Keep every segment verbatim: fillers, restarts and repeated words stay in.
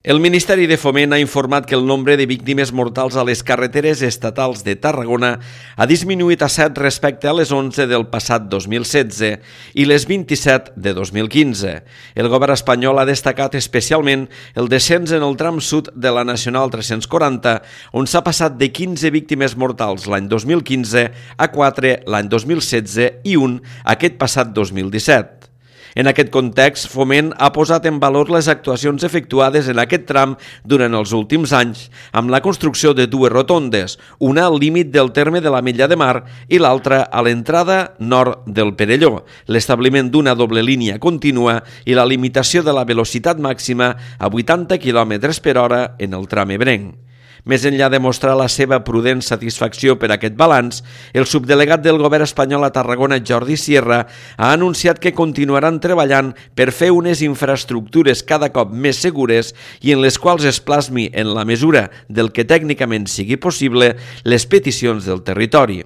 El Ministeri de Foment ha informat que el nombre de víctimes mortals a les carreteres estatals de Tarragona ha disminuït a set respecte a les onze del passat dos mil setze i les vint-i-set de dos mil quinze. El govern espanyol ha destacat especialment el descens en el tram sud de la Nacional tres-cents quaranta, on s'ha passat de quinze víctimes mortals l'any dos mil quinze a quatre l'any dos mil setze i un aquest passat dos mil disset. En aquest context, Foment ha posat en valor les actuacions efectuades en aquest tram durant els últims anys, amb la construcció de dues rotondes, una al límit del terme de l'Ametlla de Mar i l'altra a l'entrada nord del Perelló, l'establiment d'una doble línia contínua i la limitació de la velocitat màxima a vuitanta quilòmetres per hora en el tram ebrenc. Més enllà de mostrar la seva prudent satisfacció per aquest balanç, el subdelegat del govern espanyol a Tarragona, Jordi Sierra, ha anunciat que continuaran treballant per fer unes infraestructures cada cop més segures i en les quals es plasmi, en la mesura del que tècnicament sigui possible, les peticions del territori.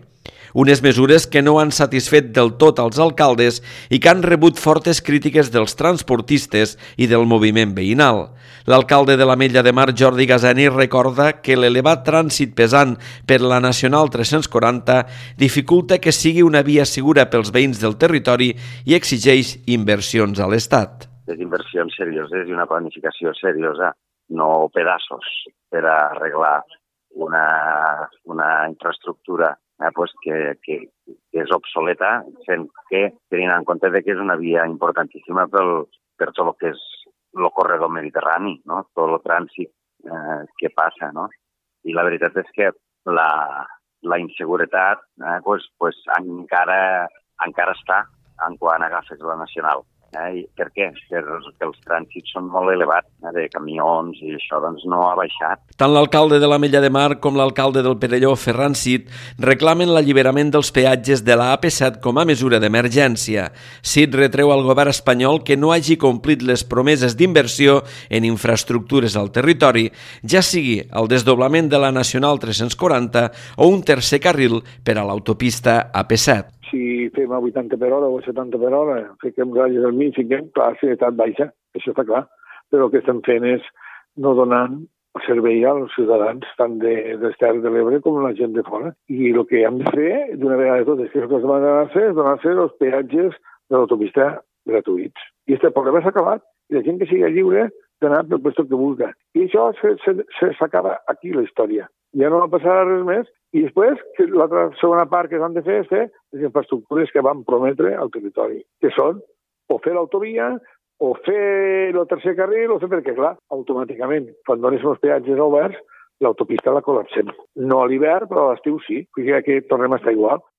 Unes mesures que no han satisfet del tot als alcaldes i que han rebut fortes crítiques dels transportistes i del moviment veïnal. L'alcalde de l'Ametlla de Mar, Jordi Gaseni, recorda que l'elevat trànsit pesant per la Nacional tres-cents quaranta dificulta que sigui una via segura pels veïns del territori i exigeix inversions a l'Estat. Les inversions serioses i una planificació seriosa, no pedaços, per arreglar una, una infraestructura Eh, pues que, que, que és obsoleta, sent que, tenint en compte que és una via importantíssima pel, per tot el que és el corredor mediterrani, no? Tot el trànsit eh, que passa, no? I la veritat és que la, la inseguretat eh, pues, pues encara, encara està en quan agafes la nacional. Eh? Per què? Perquè els trànsits són molt elevats, eh, de camions, i això doncs no ha baixat. Tant l'alcalde de l'Ametlla de Mar com l'alcalde del Perelló, Ferran Cid, reclamen l'alliberament dels peatges de la A P set com a mesura d'emergència. Cid retreu al govern espanyol que no hagi complit les promeses d'inversió en infraestructures al territori, ja sigui el desdoblament de la Nacional tres-cents quaranta o un tercer carril per a l'autopista A P set. Si fem a vuitanta per hora o a setanta per hora, fiquem ratlles al mig, fiquem, clar, la seguretat baixa, això està clar. Però el que estem fent és no donant servei als ciutadans, tant de, de les Terres de l'Ebre com la gent de fora. I el que hem de fer, d'una vegada de totes, que és el que es demana fer, és donar-se els peatges de l'autopista gratuïts. I aquest problema s'ha acabat, i la gent que sigui lliure d'anar pel lloc que vulgui. I això s'acaba aquí, la història. Ja no va passar res més. I després, l'altra segona part que s'han de fer és fer les infraestructures que van prometre al territori, que són o fer l'autovia, o fer el tercer carril, o fer perquè, clar, automàticament, quan dones els peatges oberts, l'autopista la col·lapsem. No a l'hivern, però a l'estiu sí, perquè aquí tornem a estar igual.